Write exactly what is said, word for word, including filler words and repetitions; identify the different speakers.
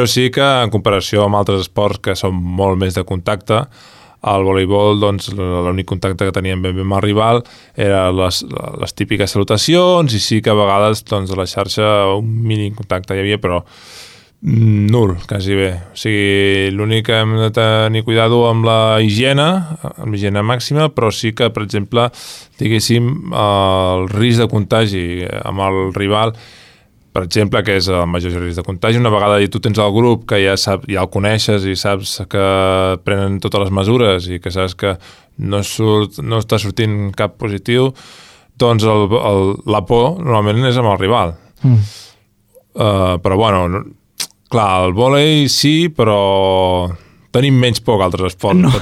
Speaker 1: però sí que en comparació amb altres esports que són molt més de contacte, al voleibol, doncs, l'únic contacte que teníem ben bé amb el rival era les, les típiques salutacions, i sí que a vegades doncs, a la xarxa un mínim contacte hi havia, però nul, quasi bé. O sigui, l'únic que hem de tenir cuidado amb la higiene, amb la higiene màxima, però sí que, per exemple, diguéssim, el risc de contagi amb el rival, per exemple, que és el major risc de contagi, una vegada tu tens el grup que ja, sap, ja el coneixes i saps que prenen totes les mesures i que saps que no, surt, no està sortint cap positiu, doncs el, el, la por normalment és amb el rival. Mm. Uh, però bueno, clar, el vòlei sí, però tenim menys por que altres esports.
Speaker 2: No.